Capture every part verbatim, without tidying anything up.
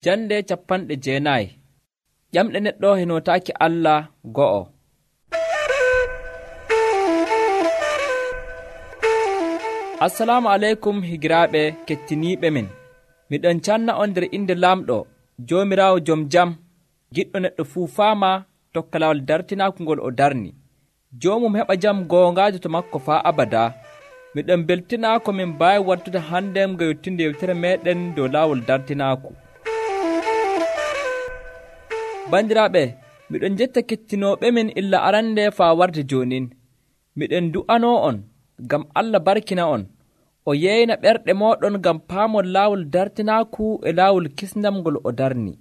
Jande capanɗe jeenayi. Ƴamɗe neɗɗo henotaaki Allah go'o. Assalamu aleykum higiraaɓe kettiniiɓe min. Miɗon canna on nder inde Laamɗo, Joomiraawo jom jam, giɗɗo neɗɗo fuu faama tokka laawol dartinaaku ngol o darni. Joomum heɓa jam goongaajo to makko faa abadaa. Miɗon beltinaa ko min mbaawi wartude hande nga yottinde yewtere meeɗen dow laawol dartinaaku. Bandiraaɓe, miɗon jetta kettinooɓe min illa arande faa warde joonin. Miɗen du'anoo on, ngam Allah barkina on, o yeeyna ɓerɗe mooɗon ngam paamon laawol dartinaaku e laawol kisndam ngol o darni.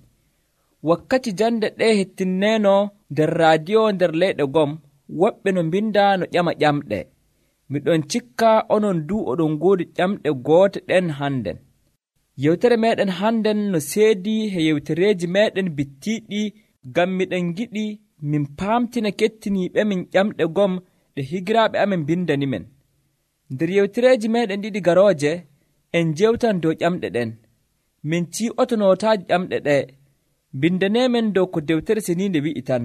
Wakkati jande ɗe hettinneeno nder raadiyo nder leyɗe gom, woɓɓe no mbinda no ƴama ƴamɗe. Miɗon cikka onon du oɗon ngoodi ƴamɗe goote ɗen hannden. Yewtere meeɗen hannden no seedii he yewtereeji meeɗen bittiiɗi, ngam miɗen giɗi min paamtina kettiniiɓe min ƴamɗe gom ɗe higiraaɓe amen mbindani men. Nder yewtereeji meeɗen ɗiɗi garooje, en jewtan dow ƴamɗe ɗen. Min cii'otonootaaji ƴamɗe ɗe, mbindaneemen dow ko dewtere seniinde wi'i tan,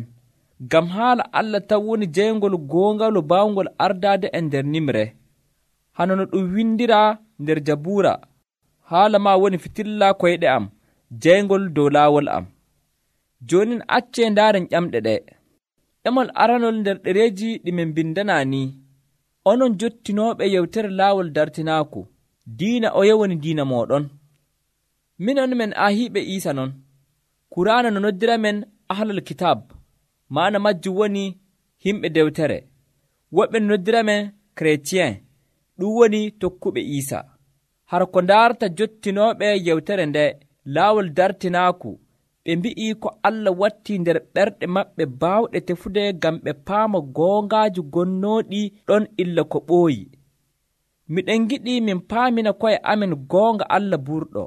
ngam haala Allah tan woni jeyngol goongal baawngol ardaade e nder nimre. Hano no ɗum windiraa nder Jabuura, haala ma woni fitilla koyɗe am, jeyngol dow laawol am. Joonin accee ndaaren ƴamɗe ɗe. Ɗemol aranol nder ɗereeji ɗi min mbindanaa ni: onon jottinooɓe yewtere laawol dartinaaku, diina oye woni diina mooɗon. Minon men ahiiɓe Iisa non. Kuraana no noddira men ahlal kitab, maana majjum woni himɓe dewtere. Woɓɓe no noddira men kretien, ɗum woni tokkuɓe Iisa. Har ko ndaarta jottinooɓe yewtere nde laawol dartinaaku, ɓe mbi'ii ko Allah wattii nder ɓerɗe maɓɓe baawɗe tefude ngam ɓe paama goongaaji gonnooɗi ɗon illa ko ɓooyi. Miɗen giɗi min paamina ko'e amen goonga Allah burɗo.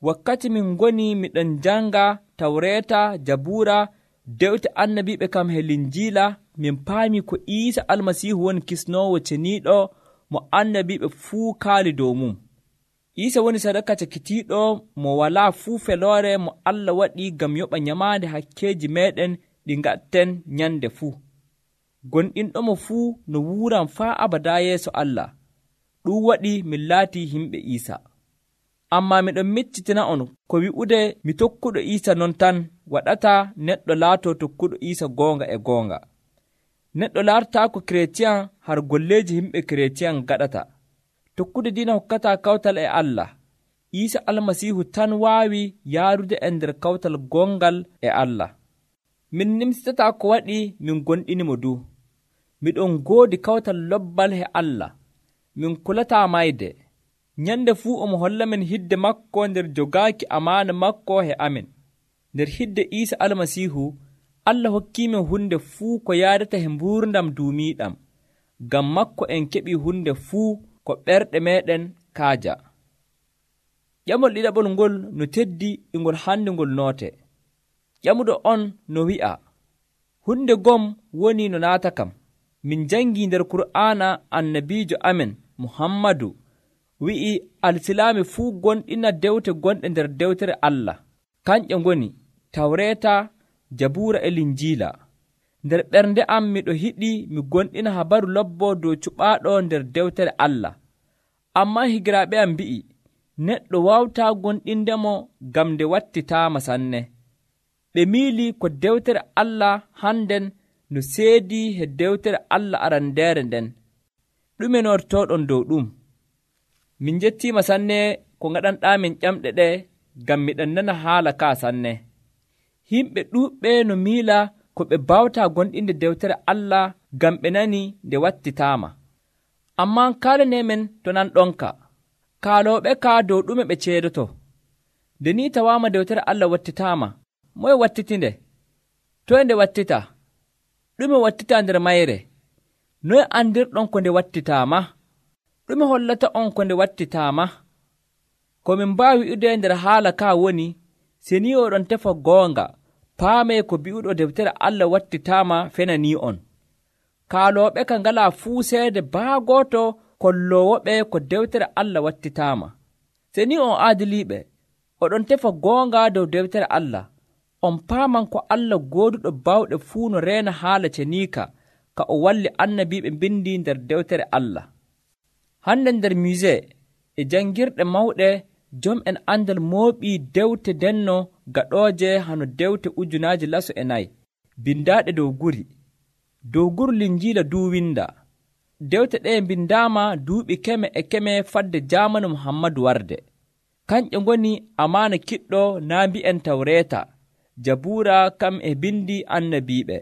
Wakkati min ngoni miɗen janga Tawreeta, Jabuura, dewte annabiiɓe kam he Linjiila, min paami ko Iisa Almasiihu woni kisnoowo ceniiɗo mo annabiiɓe fuu kaali dow mum. Iisa woni sadaka cakitiiɗo mo walaa fuu feloore mo Allah waɗi ngam yoɓa nyamaande hakkeeji meeɗen ɗi ngaɗten nyande fuu. Gonɗinɗomo fuu no wuuran faa abadaa yeeso Allah. Ɗum waɗi min laatii himɓe Iisa. Ammaa miɗon miccitina on ko wi'ude mi tokkuɗo Iisa non tan waɗataa neɗɗo laatoo tokkuɗo Iisa goonga e goonga. Neɗɗo laartaako kiretiyan har golleeji himɓe kiretiyan gaɗata. Tokkude diina hokkataa kawtal e Allah. Iisa Almasiihu tan waawi yaarude e nder kawtal gongal e Allah. Min nimsitataa ko waɗi min gonɗinimo du. Miɗon ngoodi kawtal lobbal he Allah. Min kulataa mayde. Nyande fuu omo holla men hidde makko nder jogaaki amaana makko he amen. Nder hidde Iisa Almasiihu, Allah hokkiimen hunde fuu ko yaadata he mbuurndam duumiiɗam. Ngam makko en keɓii hunde fuu ko ɓerɗe meeɗen kaaja. Ƴamol ɗiɗaɓol ngol no teddi e ngol hande ngol noote. Ƴamuɗo on no wi'a: hunde gom woni no naata kam. Min jangii nder Kur'aana annabiijo amen Muhammadu wi'i alsilaami fuu gonɗina dewte gonɗe nder dewtere Allah. Kanƴe ngoni Tawreeta, Jabuura e Linjiila. Nder ɓernde am miɗo hiɗi mi gonɗina habaru lobbo dow cuɓaaɗo nder dewtere Allah. Ammaa higiraaɓe am mbi'i neɗɗo wawtaa gonɗindemo ngam nde wattitaama sanne. Ɓe miili ko dewtere Allah hannden no seedii he dewtere Allah arandeere nden. Ɗume nortooɗon dow ɗum? Min jettiima sanne ko ngaɗanɗaamin ƴamɗe ɗe ngam miɗen nana haala kaa sanne. Himɓe ɗuuɓɓe no miila ko ɓe bawtaa gonɗinde dewtere Allah ngam ɓe nani nde wattitaama. Ammaa kaalaneemen to nan ɗonka. Kaalooɓe kaa dow ɗume ɓe ceedoto. Nde ni tawaama dewtere Allah wattitaama, moye wattitinde? Toye nde wattita? Ɗume wattita nder mayre? Noye andirɗon ko nde wattitaama? Ɗume hollata on ko nde wattitaama? Ko min mbaawi wi'ude nder haala kaa woni, seni oɗon tefa goonga, paamee ko bi'uɗo dewtere Allah wattitaama fenanii on. Kaalooɓe ka ngalaa fuu seede baagooto kolloowoɓe ko dewtere Allah wattitaama. Seni on aadiliiɓe, oɗon tefa goonga dow dewtere Allah, on paaman ko Allah gooduɗo bawɗe fuu no reena haala ceniika ka o walli annabiiɓe mbindi nder dewtere Allah. Hande nder musée e janngirɗe mawɗe jom'en andal mooɓii dewte denno gaɗooje hano dewte ujunaaji laso e nayi bindaaɗe dow guri. Dow guru linjiila duu winda. Dewte ɗe bindaama duuɓi keme e keme fadde jaamanu Muhammadu warde. Kanƴe ngoni amaana kiɗɗo naa mbi'en Tawreeta, Jabuura kam e bindi annabiiɓe.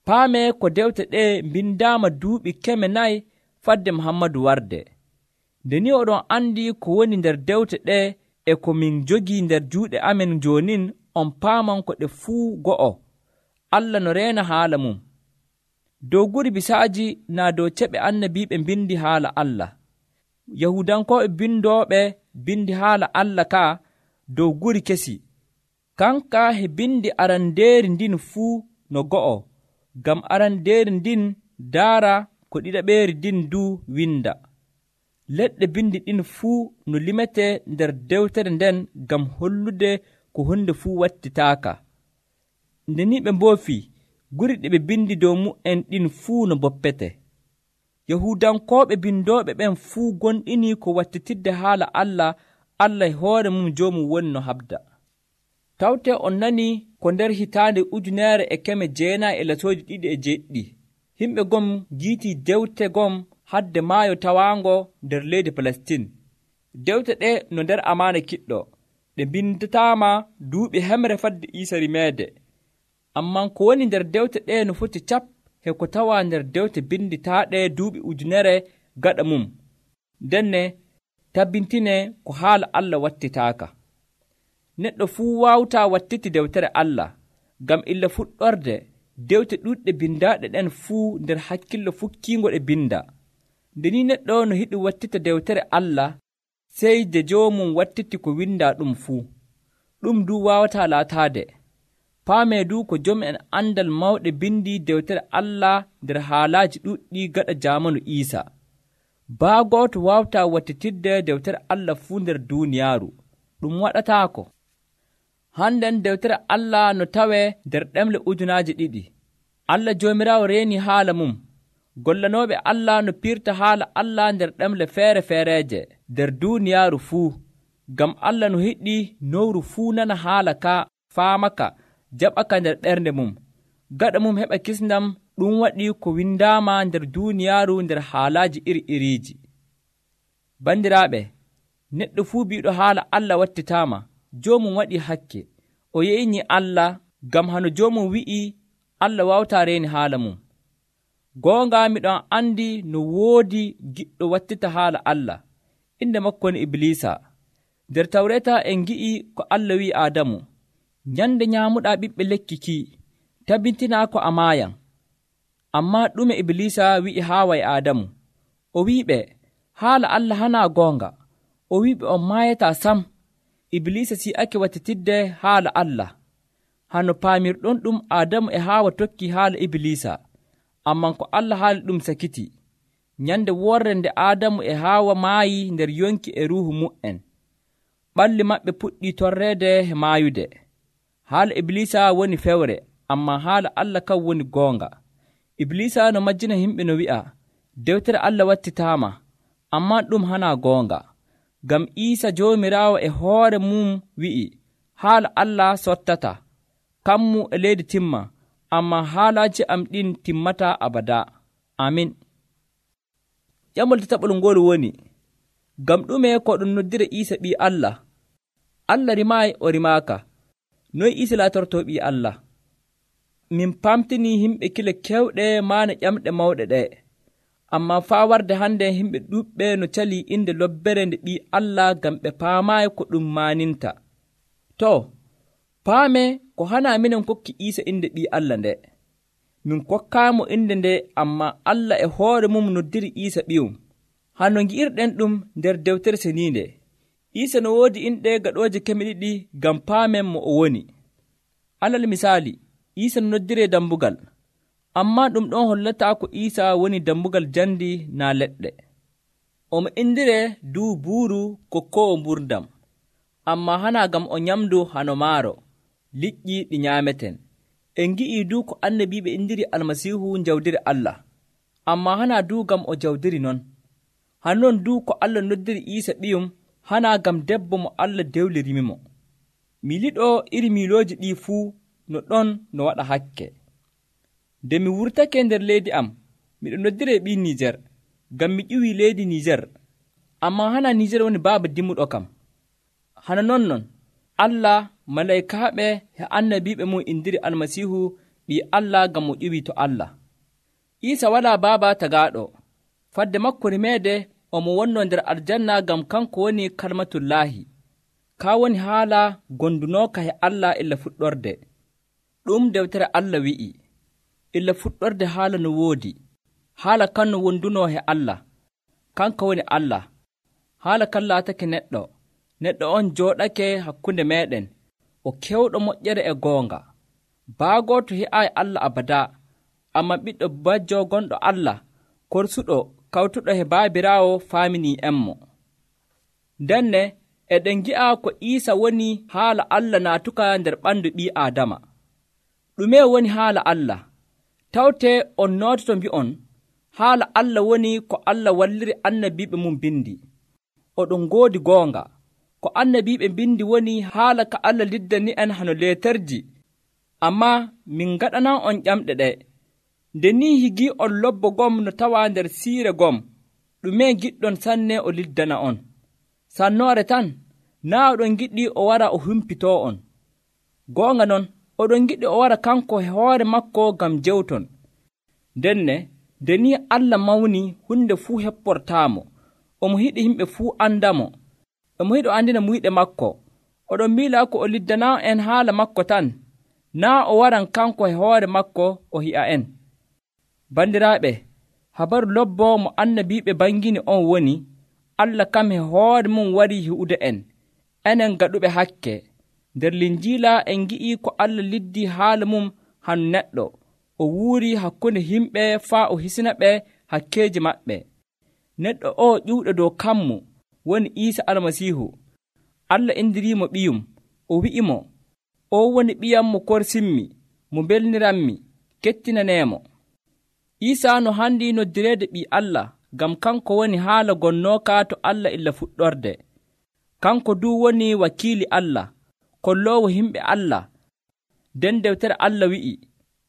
Paame ko dewte ɗe bindaama duuɓi keme nayi fadde Muhammadu warde. Nde ni oɗon andi ko woni nder dewte ɗe e ko min jogii nder juuɗe amen joonin, on paaman ko ɗe fuu go'o, Allah no reena haala mum. Dow guri bisaaji naa dow ceɓe annabiiɓe mbindi haala Allah. Yahudankooɓe bindooɓe bindi haala Allah ka dow guri kesi. Kanka he bindi arandeeri ndin fuu no go'o, ngam arandeeri ndin daara ko ɗiɗaɓeeri ndin du winda. Leɗɗe bindi ɗin fuu no limete nder dewtere nden ngam hollude ko hunde fuu wattitaaka. Nde ni ɓe mboofi, guri ɗi ɓe bindi dow mu'en ɗin fuu no boppete. Yahudankooɓe bindooɓe ɓen fuu gonɗini ko wattitidde haala Allah, Allah e hoore mum joomum woni no habda. Tawte on nani ko nder hitaande ujuneere e keme jeenayi e lasooji ɗiɗi e jeɗɗi, himɓe gom giitii dewte gom hadde maayo tawaango nder leydi Palestin. Dewte ɗe no nder amaana kiɗɗo, ɗe bindataama duuɓi hemre fadde Iisa rimeede. Amman ko woni nder dewte ɗe no foti cap he ko tawaa nder dewte binditaaɗe duuɓi ujunere gaɗa mum. Ndenne tabbintine ko haala Allah wattitaaka. Neɗɗo fuu waawtaa wattiti dewtere Allah, ngam illa fuɗɗorde dewte ɗuɗɗe bindaaɗe ɗen fuu nder hakkillo fukkiingo ɗe binda. Nde ni neɗɗo no yiɗi wattita dewtere Allah, sey de joomum wattiti ko windaa ɗum fuu. Ɗum du waawataa laataade. Paamee du ko jom'en andal mawɗe bindi dewtere Allah nder haalaaji ɗuɗɗi gaɗa jaamanu Iisa. Baa gooto waawtaa wattitidde dewtere Allah fuu nder duuniyaaru. Ɗum waɗataako. Hannden dewtere Allah no tawee nder ɗemle ujunaaji ɗiɗi. Allah Joomiraawo reeni haala mum. Gollanooɓe Allah no piirta haala Allah nder ɗemle feere feereeje nder duuniyaaru fuu, ngam Allah no yiɗi nowru fuu nana haala ka, faamaka, jaɓaka nder ɓernde mum. Gaɗa mum heɓa kisndam, ɗum waɗi ko windaama nder duuniyaaru nder haalaaji iri-iriiji. Bandiraaɓe, neɗɗo fuu biiɗo haala Allah wattitaama, joomum waɗii hakke. O yeynii Allah, ngam hano joomum wi'ii Allah waawtaa reeni haala mum. Goonga miɗon andi no woodi giɗɗo wattita haala Allah, inde makko ni Iblisa. Nder Tawreeta en ngi'i ko Allah wi'i Aadamu, nyande nyaamuɗaa ɓiɓɓe lekki ki, tabbitinaa ko a maayan. Ammaa ɗume Iblisa wi'i Haawa e Aadamu? O wi'iɓe, haala Allah hanaa goonga. O wi'iɓe on maayataa sam. Iblisa si'ake wattitidde haala Allah. Hano paamirɗon ɗum Aadamu e Haawa tokki haala Iblisa. Amman ko Allah haali ɗum sakiti. Nyande worre nde Aadamu e Haawa maayi nder yonki e ruuhu mu'en, ɓalli maɓɓe puɗɗi torreede e maayude. Haala Iblisa woni fewre, ammaa haala Allah kan woni goonga. Iblisa no majjina himɓe no wi'a, dewtere Allah wattitaama, ammaa ɗum hanaa goonga. Ngam Iisa Joomiraawo e hoore mum wi'i, haala Allah sottata, kammu e leydi timma, ammaa haalaaji am ɗin timmataa abadaa. Amin. Ƴamol tataɓol ngol woni, ngam ɗume ko ɗum noddira Iisa ɓii Allah? Allah rimaayi o rimaaka. Noy Iisa laatortoo ɓii Allah? Min pamtinii yimɓe kile kewɗe maana ƴamɗe mawɗe ɗe. Ammaa faa warde hannde yimɓe ɗuuɓɓe no calii innde lobbere nde ɓii Allah ngam ɓe paamaayi ko ɗum maaninta. To, paame ko hanaa minen kokki Iisa innde ɓii Allah nde. Min kokkaamo innde nde, ammaa Allah e hoore mum noddiri Iisa ɓiyum. Hano ngi'irɗen ɗum nder dewtere seniinde. Iisa no woodi inɗe gaɗooje keme ɗiɗi ngam paamen mo o woni. Alal misaali, Iisa no noddiree dambugal, ammaa ɗum ɗon hollataa ko Iisa woni dambugal jandi naa leɗɗe. Omo indiree duu buuru kokkoowo mburdam. ammaa hana ngam o nyamdu hano maaro, liƴƴi ɗi nyaameten. En ngi'ii du ko annabiiɓe indiri Almasiihu jawdiri Allah, ammaa hana du ngam o jawdiri non. Hannon du ko Allah noddiri Iisa ɓiyum hana ngam debbo mo Allah dewlirimimo. Miliɗo iri milooji ɗii fuu no ɗon no waɗa hakke. Nde mi wurtake nder leydi am, miɗo noddire ɓii Niijer, ngam mi ƴiwii leydi Niijer, ammaa hana Niijer woni baaba dimmuɗo kam. Hana non non, Allah, malaykaaɓe e annabiiɓe mum indiri Almasiihu ɓii Allah ngam mo ƴiwii to Allah. Iisa walaa baaba tagaaɗo, fadde makko rimeede omo wonnoo nder aljanna ngam kanko woni kalmatullaahi. Kaa woni haala gondunooka e Allah illa fuɗɗorde. Ɗum dewtere Allah wi'i, illa fuɗɗorde haala no woodi, haala kan no wondunoo e Allah, kanka woni Allah. Haala kan laatake neɗɗo, neɗɗo on jooɗake hakkunde meeɗen, o kewɗo moƴƴere e goonga. Baagooto he'aayi Allah abadaa, ammaa ɓiɗɗo bajjo gonɗo Allah, korsuɗo kawtuɗo e baabiraawo faaminii'enmo. Ndenne eɗen ngi'a ko Iisa woni haala Allah naatuka nder ɓandu ɓii Aadama. Ɗume woni haala Allah? Tawtee on noototo mbi'on, haala Allah woni ko Allah walliri annabiiɓe mum bindi. Oɗon ngoodi goonga. Ko annabiiɓe bindi woni haala ka Allah liddani en hano leeterji. Ammaa min ngaɗanan on ƴamɗe ɗe. Nde ni higi on lobbo gom no tawaa nder siire gom, ɗume giɗɗon sanne o liddana on? Sannoore tan, naa oɗon giɗi o wara o humpitoo on. Goonga non, oɗon giɗi o wara kanko e hoore makko ngam jewton. Ndenne, nde ni Allah mawni hunde fuu hepportaamo, omo hiɗi yimɓe fuu andamo, omo hiɗi o andina muyɗe makko. Oɗon miila ko o liddanaa en haala makko tan, naa o waran kanko e hoore makko o hi'a en. Bandiraaɓe, habaru lobbo mo annabiiɓe bangini on woni, Allah kam e hoore mum warii hi'ude en, enen gaɗuɓe hakke. Nder Linjiila en ngi'i ko Allah liddi haala mum hanu neɗɗo, o wuuri hakkunde yimɓe faa o hisina ɓe hakkeeji maɓɓe. Neɗɗo o ƴiwɗo dow kammu woni Iisa Almasiihu. Allah indiriimo ɓiyum, o wi'imo, o woni ɓiyam mo korsinmi, mo belniranmi, kettinaneemo. Iisa no handi noddireede ɓii Allah, ngam kanko woni haala gonnooka to Allah illa fuɗɗorde. Kanko du woni wakiili Allah, kolloowo yimɓe Allah. Nden dewtere Allah wi'i,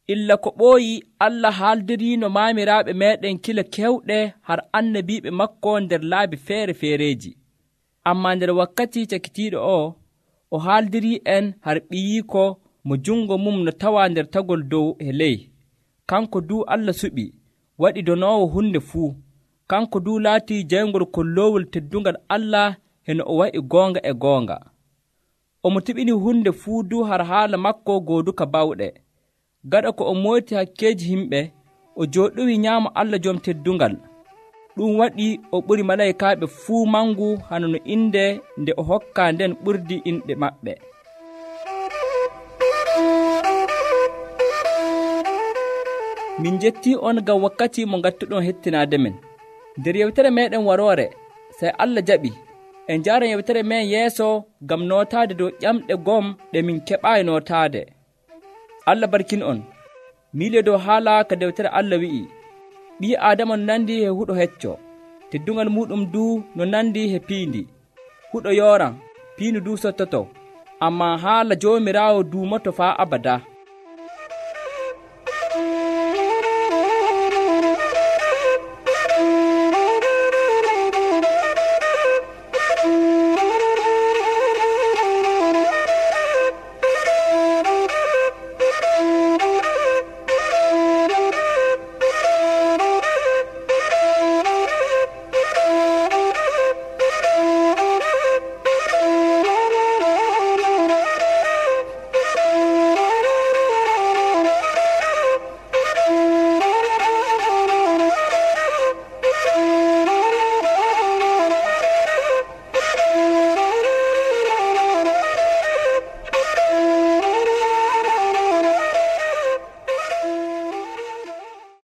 illa ko ɓooyi Allah haaldiriino maamiraaɓe meeɗen kila kewɗe har annabiiɓe makko nder laabi feere feereeji. Ammaa nder wakkati cakitiiɗo o, o haaldirii en har ɓiyiiko mo jungo mum no tawaa nder tagol dow e ley. Kanko du Allah suɓi, waɗi donoowo hunde fuu. Kanko du laatii jayngol kolloowol teddungal Allah heno o wa'i goonga e goonga. Omo tiɓini hunde fuu du har haala makko gooduka bawɗe. Gaɗa ko o moyti hakkeeji yimɓe, o jooɗowi nyaamo Allah joom teddungal. Ɗum waɗi o ɓuri malaykaaɓe fuu mangu hano no inde nde o hokkaa nden ɓurdi inɗe maɓɓe. Min jettii on ngam wakkati mo ngattuɗon hettinaade men. Nder yewtere meeɗen waroore, sey Allah jaɓi, en njaaran yewtere men yeeso ngam nootaade dow ƴamɗe gom ɗe min keɓaayi nootaade. Allah barkin on. Miile dow haala ka dewtere Allah wi'i, ɓii Aadama no nandi he huɗo hecco, teddungal muɗum du no nandi he piindi. Huɗo yooran, piinu du sottoto, ammaa haala Joomiraawo duumoto faa abada.